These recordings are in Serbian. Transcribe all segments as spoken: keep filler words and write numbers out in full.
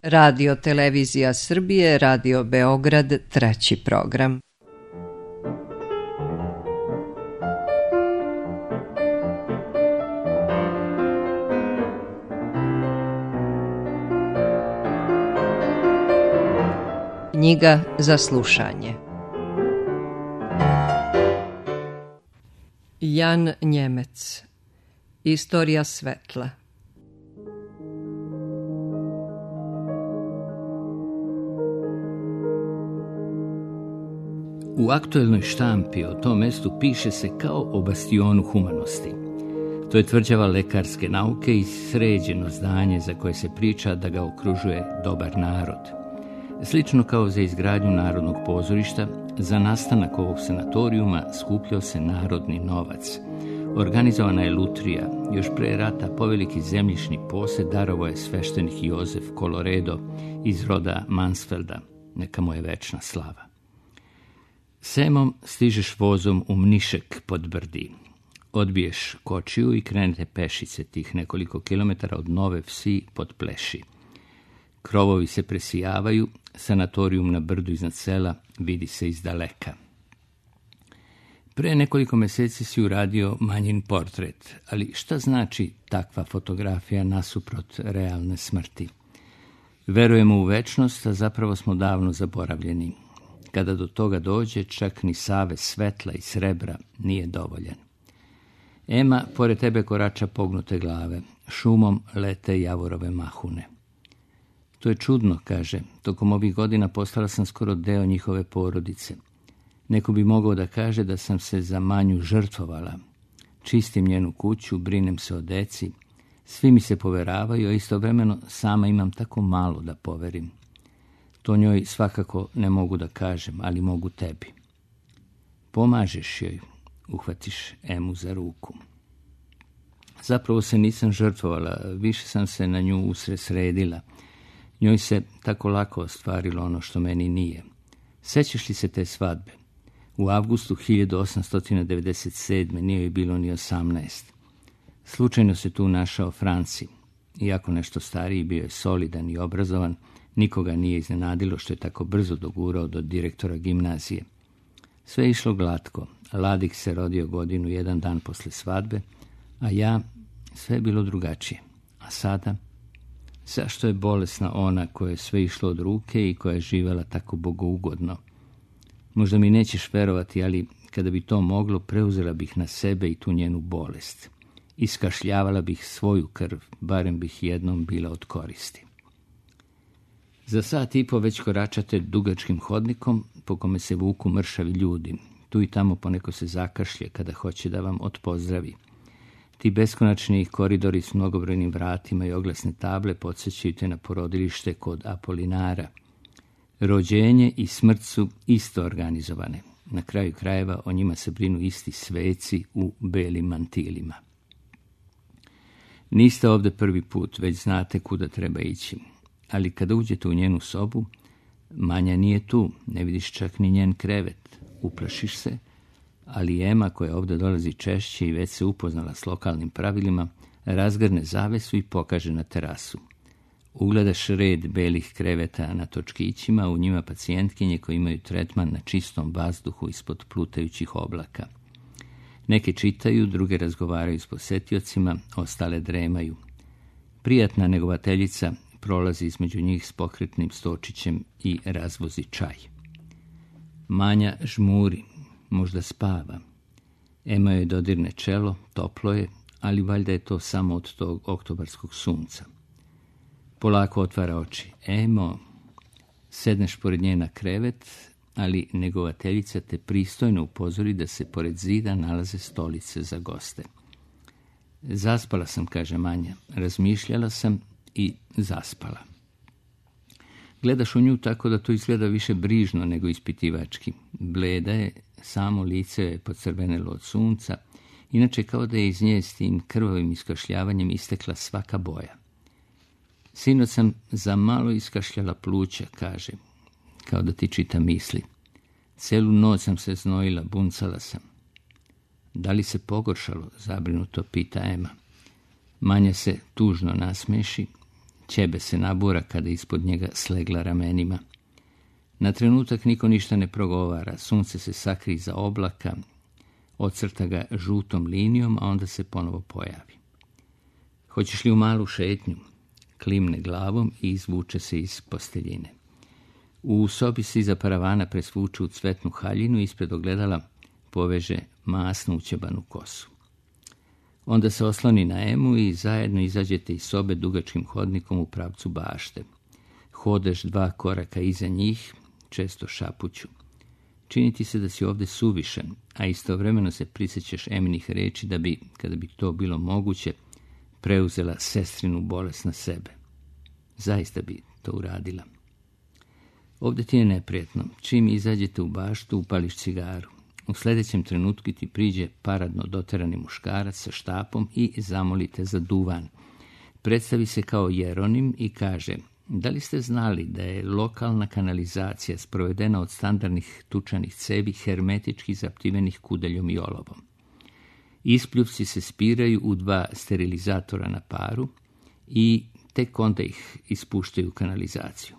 Radio Televizija Srbije, Radio Beograd, treći program. Knjiga za slušanje. Jan Njemec. Istorija svetla. U aktuelnoj štampi o tom mestu piše se kao o bastionu humanosti. To je tvrđava lekarske nauke i sređeno zdanje za koje se priča da ga okružuje dobar narod. Slično kao za izgradnju Narodnog pozorišta, za nastanak ovog sanatorijuma skupljao se narodni novac. Organizovana je lutrija, još pre rata poveliki zemljišni posed darovao je sveštenik Jozef Koloredo iz roda Mansfelda, neka mu je večna slava. Semom stižeš vozom u Mnišek pod Brdi. Odbiješ kočiju i krenete pešice tih nekoliko kilometara od Nove Vsi pod Pleši. Krovovi se presijavaju, sanatorijum na brdu iznad sela vidi se iz daleka. Pre nekoliko meseci si uradio Manjin portret, ali šta znači takva fotografija nasuprot realne smrti? Verujemo u večnost, a zapravo smo davno zaboravljeni. Kada do toga dođe, čak ni savez svetla i srebra nije dovoljan. Ema pored tebe korača pognute glave, šumom lete javorove mahune. To je čudno, kaže, tokom ovih godina postala sam skoro deo njihove porodice. Neko bi mogao da kaže da sam se za Manju žrtvovala. Čistim njenu kuću, brinem se o deci, svi mi se poveravaju, a istovremeno sama imam tako malo da poverim. To njoj svakako ne mogu da kažem, ali mogu tebi. Pomažeš joj, uhvatiš Emu za ruku. Zapravo se nisam žrtvovala, više sam se na nju usresredila. Njoj se tako lako ostvarilo ono što meni nije. Sećaš li se te svadbe? U avgustu hiljadu osamsto devedeset sedme nije joj bilo ni osamnaest. Slučajno se tu našao Franci. Iako nešto stariji, bio je solidan i obrazovan, nikoga nije iznenadilo što je tako brzo dogurao do direktora gimnazije. Sve je išlo glatko. Ladik se rodio godinu jedan dan posle svadbe, a ja, sve je bilo drugačije. A sada, zašto je bolesna ona koja je sve išlo od ruke i koja je živela tako bogougodno? Možda mi nećeš verovati, ali kada bi to moglo, preuzela bih na sebe i tu njenu bolest. Iskašljavala bih svoju krv, barem bih jednom bila od koristi. Za sat i po već koračate dugačkim hodnikom po kome se vuku mršavi ljudi. Tu i tamo poneko se zakašlje kada hoće da vam odpozdravi. Ti beskonačni koridori s mnogobrojnim vratima i oglasne table podsjećaju te na porodilište kod Apolinara. Rođenje i smrt su isto organizovane. Na kraju krajeva o njima se brinu isti sveci u belim mantilima. Niste ovde prvi put, već znate kuda treba ići. Ali kada uđete u njenu sobu, Manja nije tu, ne vidiš čak ni njen krevet. Uplašiš se, ali Ema, koja ovde dolazi češće i već se upoznala s lokalnim pravilima, razgrne zavesu i pokaže na terasu. Ugledaš red belih kreveta na točkićima, u njima pacijentkinje koji imaju tretman na čistom vazduhu ispod plutajućih oblaka. Neke čitaju, druge razgovaraju s posetiocima, ostale dremaju. Prijatna negovateljica prolazi između njih s pokretnim stočićem i razvozi čaj. Manja žmuri, možda spava. Ema joj dodirne čelo, toplo je, ali valjda je to samo od tog oktobarskog sunca. Polako otvara oči. Emo, sedneš pored nje na krevet, ali negovateljica te pristojno upozori da se pored zida nalaze stolice za goste. Zaspala sam, kaže Manja. Razmišljala sam i zaspala. Gledaš u nju tako da to izgleda više brižno nego ispitivački. Bleda je, samo lice je pocrvenelo od sunca, inače kao da je iz nje s tim krvavim iskašljavanjem istekla svaka boja. Sinoć sam za malo iskašljala pluća, kaže, kao da ti čita misli. Celu noć sam se znojila, buncala sam. Da li se pogoršalo, zabrinuto pita Ema. Manja se tužno nasmeši. ćebe se nabura kada ispod njega slegla ramenima. Na trenutak niko ništa ne progovara, sunce se sakrije iza oblaka, ocrta ga žutom linijom, a onda se ponovo pojavi. Hoćeš li u malu šetnju? Klimne glavom i izvuče se iz posteljine. U sobi se iza paravana presvuče u cvetnu haljinu i ispred ogledala poveže masnu ućebanu kosu. Onda se osloni na Emu i zajedno izađete iz sobe dugačkim hodnikom u pravcu bašte. Hodeš dva koraka iza njih, često šapuću. Čini ti se da si ovdje suvišan, a istovremeno se prisjećaš Eminih reči da bi, kada bi to bilo moguće, preuzela sestrinu bolest na sebe. Zaista bi to uradila. Ovdje ti je neprijatno. Čim izađete u baštu, upališ cigaru. U sljedećem trenutku ti priđe paradno doterani muškarac sa štapom i zamolite za duvan. Predstavi se kao Jeronim i kaže: da li ste znali da je lokalna kanalizacija sprovedena od standardnih tučanih cevi hermetički zaptivenih kudeljom i olovom? Ispljuvci se spiraju u dva sterilizatora na paru i tek onda ih ispuštaju u kanalizaciju.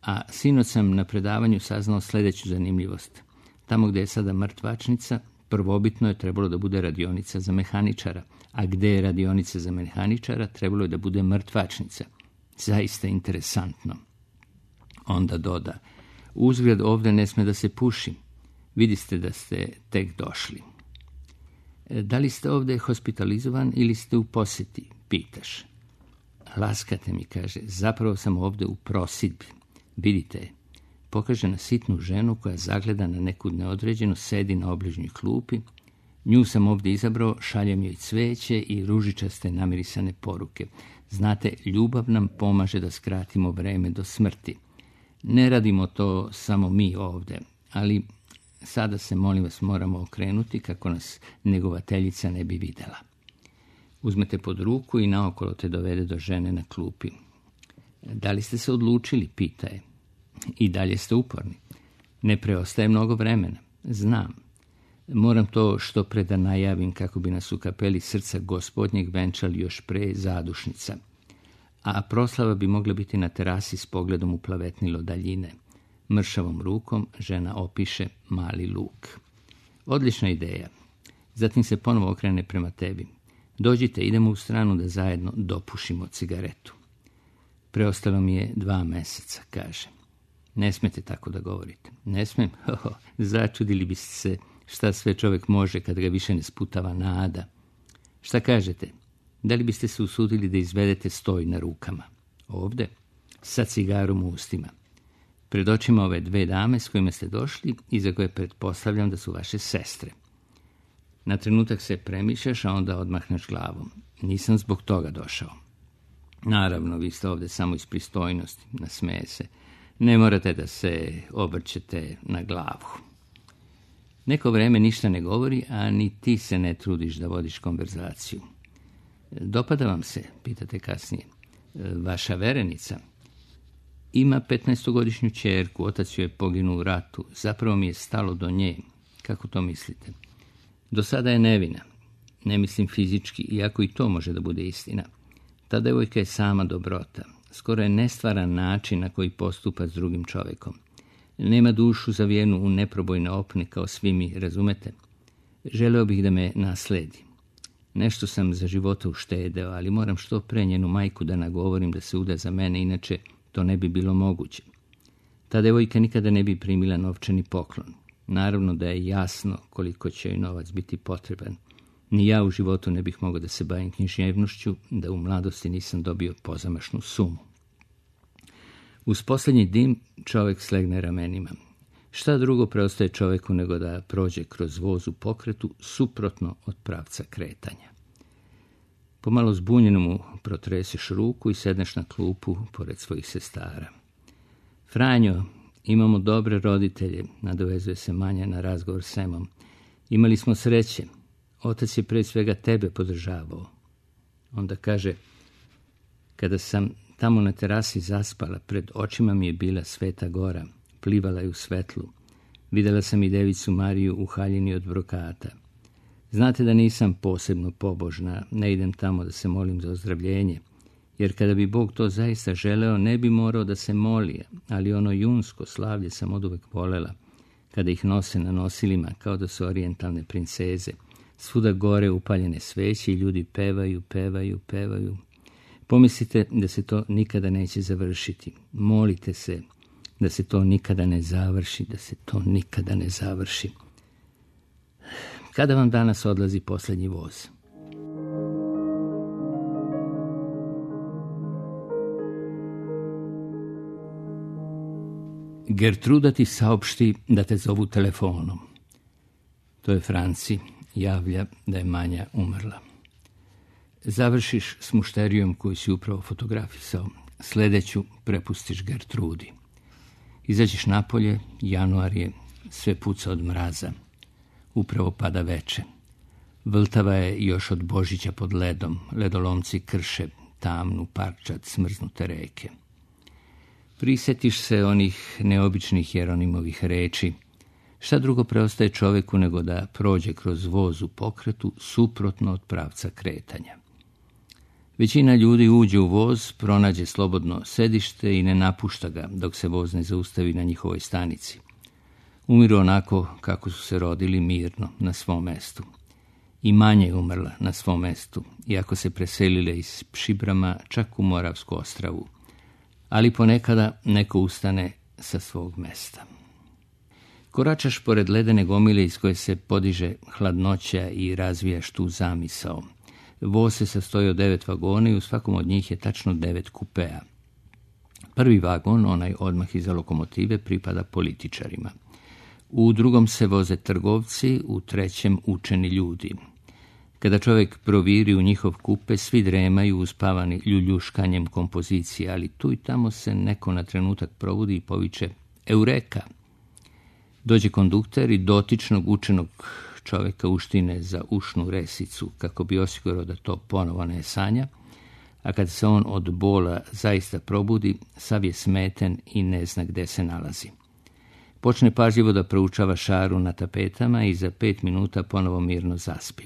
A sinoć sam na predavanju saznao sljedeću zanimljivost. Tamo gdje je sada mrtvačnica, prvobitno je trebalo da bude radionica za mehaničara, a gdje je radionica za mehaničara, trebalo je da bude mrtvačnica. Zaista interesantno. Onda doda: uzgled ovdje ne sme da se puši. Vidiste da ste tek došli. Da li ste ovdje hospitalizovan ili ste u posjeti, pitaš. Laskate mi, kaže, zapravo sam ovdje u prosidbi. Vidite je. Pokaže na sitnu ženu koja zagleda na neku neodređenu, sedi na obližnjoj klupi. Nju sam ovdje izabrao, šaljem joj cveće i ružičaste namirisane poruke. Znate, ljubav nam pomaže da skratimo vreme do smrti. Ne radimo to samo mi ovdje, ali sada se, molim vas, moramo okrenuti kako nas negovateljica ne bi vidjela. Uzmete pod ruku i naokolo te dovede do žene na klupi. Da li ste se odlučili, pita je. I dalje ste uporni. Ne preostaje mnogo vremena. Znam. Moram to što pre da najavim kako bi nas u kapeli Srca Gospodnjeg venčali još pre zadušnica. A proslava bi mogla biti na terasi s pogledom u plavetnilo daljine. Mršavom rukom žena opiše mali luk. Odlična ideja. Zatim se ponovo okrene prema tebi. Dođite, idemo u stranu da zajedno dopušimo cigaretu. Preostalo mi je dva meseca, kaže. Ne smete tako da govorite. Ne smem? Hoho, začudili biste se šta sve čovjek može kad ga više ne sputava nada. Šta kažete? Da li biste se usudili da izvedete stoj na rukama? Ovdje? Sa cigarom u ustima. Pred očima ove dve dame s kojima ste došli i za koje pretpostavljam da su vaše sestre. Na trenutak se premišljaš, a onda odmahneš glavom. Nisam zbog toga došao. Naravno, vi ste ovdje samo iz pristojnosti, nasmeje se. Ne morate da se obrćete na glavu. Neko vreme ništa ne govori, a ni ti se ne trudiš da vodiš konverzaciju. Dopada vam se, pitate kasnije. Vaša verenica? Ima petnaestogodišnju ćerku, otac joj je poginuo u ratu. Zapravo mi je stalo do nje. Kako to mislite? Do sada je nevina. Ne mislim fizički, iako i to može da bude istina. Ta devojka je sama dobrota. Skoro je nestvaran način na koji postupa s drugim čovjekom. Nema dušu zavijenu u neprobojne opne kao svi mi, razumete? Želeo bih da me nasledi. Nešto sam za života uštedeo, ali moram što pre njenu majku da nagovorim da se uda za mene, inače to ne bi bilo moguće. Ta devojka nikada ne bi primila novčani poklon. Naravno da je jasno koliko će joj novac biti potreban. Ni ja u životu ne bih mogao da se bavim književnošću, da u mladosti nisam dobio pozamašnu sumu. Uz posljednji dim čovjek slegne ramenima. Šta drugo preostaje čovjeku nego da prođe kroz voz u pokretu suprotno od pravca kretanja. Pomalo zbunjeno mu protreseš ruku i sedneš na klupu pored svojih sestara. Franjo, imamo dobre roditelje, nadovezuje se Manja na razgovor s Emom. Imali smo sreće. Otac je pre svega tebe podržavao. Onda kaže, kada sam tamo na terasi zaspala, pred očima mi je bila Sveta Gora, plivala je u svetlu. Videla sam i devicu Mariju u haljini od brokata. Znate da nisam posebno pobožna, ne idem tamo da se molim za ozdravljenje. jer kada bi Bog to zaista želeo, ne bi morao da se moli, ali ono junsko slavlje sam oduvek volela, kada ih nose na nosilima kao da su orijentalne princeze. Svuda gore upaljene sveće i ljudi pevaju, pevaju, pevaju. Pomislite da se to nikada neće završiti. Molite se da se to nikada ne završi, da se to nikada ne završi. Kada vam danas odlazi posljednji voz? Gertruda ti saopšti da te zovu telefonom. To je Franci, javlja da je Manja umrla. Završiš s mušterijom koju si upravo fotografisao. Sledeću prepustiš Gertrudi. Izađeš napolje, januar je, sve puca od mraza. Upravo pada veče. Vltava je još od Božića pod ledom. Ledolomci krše tamnu parčad smrznute reke. Prisjetiš se onih neobičnih Jeronimovih reči. Šta drugo preostaje čoveku nego da prođe kroz voz u pokretu suprotno od pravca kretanja. Većina ljudi uđe u voz, pronađe slobodno sedište i ne napušta ga dok se voz ne zaustavi na njihovoj stanici. Umiru onako kako su se rodili, mirno, na svom mestu. I Manja je umrla na svom mestu, iako se preselile iz Pšibrama čak u Moravsku Ostravu. Ali ponekada neko ustane sa svog mesta. Koračaš pored ledene gomile iz koje se podiže hladnoća i razvijaš tu zamisao. Voz se sastoji od devet vagona i u svakom od njih je tačno devet kupea. Prvi vagon, onaj odmah iza lokomotive, pripada političarima. U drugom se voze trgovci, u trećem učeni ljudi. Kada čovjek proviri u njihov kupe, svi dremaju uspavani ljuljuškanjem kompozicije, ali tu i tamo se neko na trenutak probudi i poviče Eureka! Dođe kondukter i dotičnog učenog čovjeka uštine za ušnu resicu kako bi osigurao da to ponovo ne sanja, a kad se on od bola zaista probudi, sav je smeten i ne zna gde se nalazi. Počne pažljivo da proučava šaru na tapetama i za pet minuta ponovo mirno zaspi.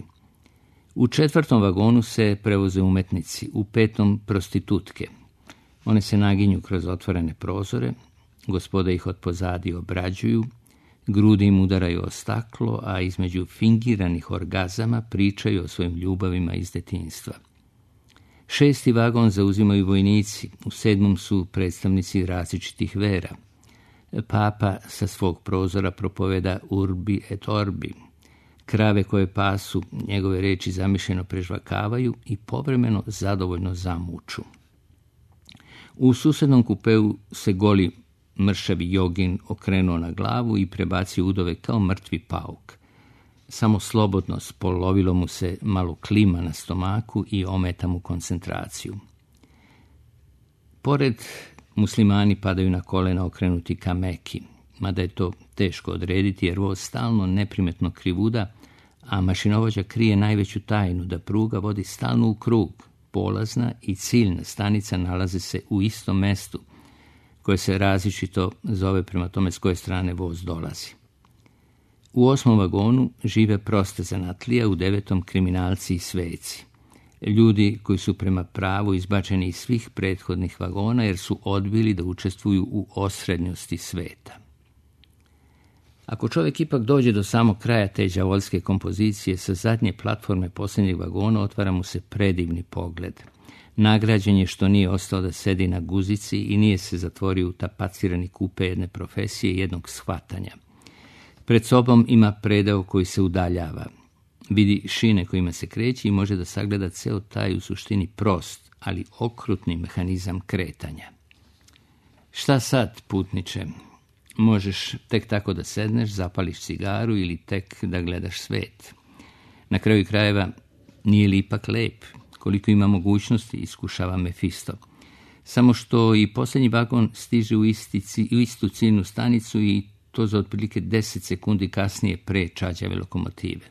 U četvrtom vagonu se prevoze umetnici, u petom prostitutke. One se naginju kroz otvorene prozore, gospoda ih od pozadi obrađuju, grudi im udaraju o staklo, a između fingiranih orgazama pričaju o svojim ljubavima iz detinjstva. Šesti vagon zauzimaju vojnici, u sedmom su predstavnici različitih vera. Papa sa svog prozora propoveda urbi et orbi. Krave koje pasu, njegove reči zamišljeno prežvakavaju i povremeno zadovoljno zamuču. U susednom kupeu se goli mršavi jogin okrenuo na glavu i prebacio udove kao mrtvi pauk. Samo slobodno spolovilo mu se malo klima na stomaku i ometa mu koncentraciju. Pored muslimani padaju na kolena okrenuti ka Meki, mada je to teško odrediti jer voz stalno neprimetno krivuda, a mašinovođa krije najveću tajnu da pruga vodi stalno u krug. Polazna i ciljna stanica nalaze se u istom mestu, koje se različito zove prema tome s koje strane voz dolazi. U osmom vagonu žive proste zanatlija, u devetom kriminalci i sveci. Ljudi koji su prema pravu izbačeni iz svih prethodnih vagona jer su odbili da učestvuju u osrednjosti sveta. Ako čovjek ipak dođe do samog kraja te đavolske kompozicije, sa zadnje platforme posljednjeg vagona otvara mu se predivni pogled. Nagrađen je što nije ostao da sedi na guzici i nije se zatvorio u tapacirani kupe jedne profesije i jednog shvatanja. Pred sobom ima predeo koji se udaljava. Vidi šine kojima se kreće i može da sagleda ceo taj u suštini prost, ali okrutni mehanizam kretanja. Šta sad, putniče? Možeš tek tako da sedneš, zapališ cigaru ili tek da gledaš svet. Na kraju krajeva, nije li ipak lep? Koliko ima mogućnosti, iskušava Mefisto. Samo što i posljednji vagon stiže u, isti, u istu ciljnu stanicu i to za otprilike deset sekundi kasnije pre čađave lokomotive.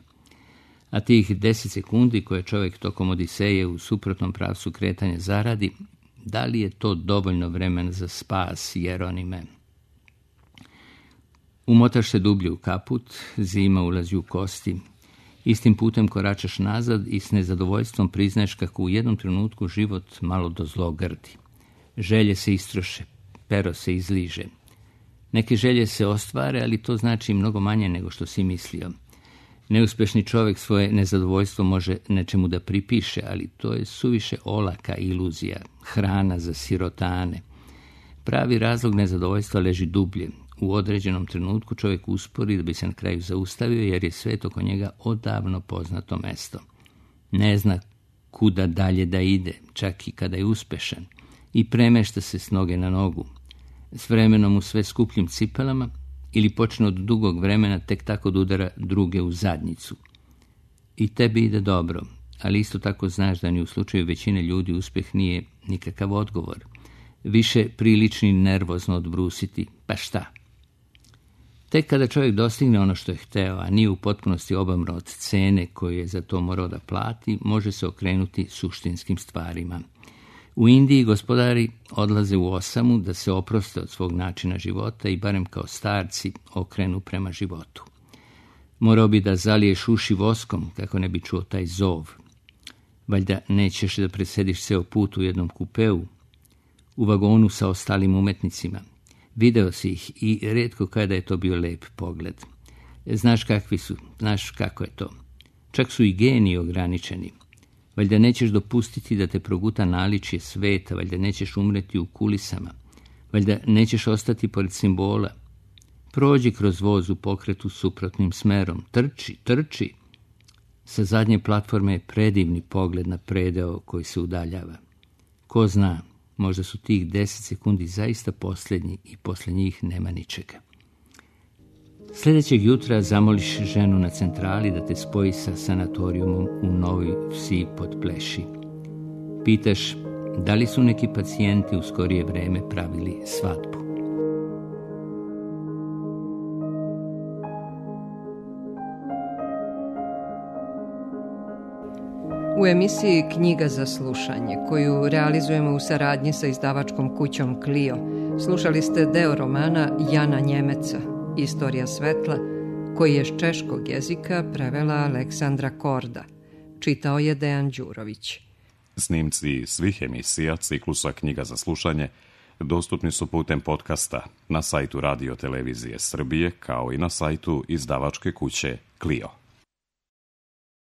A tih deset sekundi koje čovjek tokom Odiseje u suprotnom pravcu kretanja zaradi, da li je to dovoljno vremena za spas, Jeronime? Umotaš se dublje u kaput, zima ulazi u kosti Istim putem koračaš nazad i s nezadovoljstvom priznaješ kako u jednom trenutku život malo do zlo grdi. Želje se istroše, pero se izliže. Neke želje se ostvare, ali to znači mnogo manje nego što si mislio. Neuspešni čovjek svoje nezadovoljstvo može nečemu da pripiše, ali to je suviše olaka iluzija, hrana za sirotane. Pravi razlog nezadovoljstva leži dublje. U određenom trenutku čovjek uspori da bi se na kraju zaustavio, jer je svet oko njega odavno poznato mesto. Ne zna kuda dalje da ide, čak i kada je uspešan, i premešta se s noge na nogu. S vremenom u sve skupljim cipelama ili počne od dugog vremena tek tako da udara druge u zadnjicu. I tebi ide dobro, ali isto tako znaš da ni u slučaju većine ljudi uspjeh nije nikakav odgovor. Više prilični nervozno odbrusiti, pa šta? Tek kada čovjek dostigne ono što je hteo, a nije u potpunosti obamro od cene koju je za to morao da plati, može se okrenuti suštinskim stvarima. U Indiji gospodari odlaze u osamu da se oproste od svog načina života i barem kao starci okrenu prema životu. Morao bi da zaliješ uši voskom kako ne bi čuo taj zov. Valjda nećeš da presediš ceo put u jednom kupeu, u vagonu sa ostalim umetnicima. Video si ih i retko kada je to bio lep pogled. Znaš kakvi su, znaš kako je to. Čak su i geniji ograničeni. Valjda nećeš dopustiti da te proguta naličje sveta, valjda nećeš umreti u kulisama, valjda nećeš ostati pored simbola. Prođi kroz voz u pokretu suprotnim smerom, trči, trči. Sa zadnje platforme je predivni pogled na predeo koji se udaljava. Ko zna, možda su tih deset sekundi zaista posljednji i posle njih nema ničega. Sljedećeg jutra zamoliš ženu na centrali da te spoji sa sanatorijumom u Novoj Vsi pod Pleši. Pitaš da li su neki pacijenti u skorije vreme pravili svadbu. U emisiji Knjiga za slušanje, koju realizujemo u saradnji sa izdavačkom kućom Clio, slušali ste deo romana Jana Njemeca, Istorija svetla, koji je s češkog jezika prevela Aleksandra Korda. Čitao je Dejan Đurović. Snimci svih emisija ciklusa Knjiga za slušanje dostupni su putem podcasta na sajtu Radio Televizije Srbije, kao i na sajtu izdavačke kuće Clio.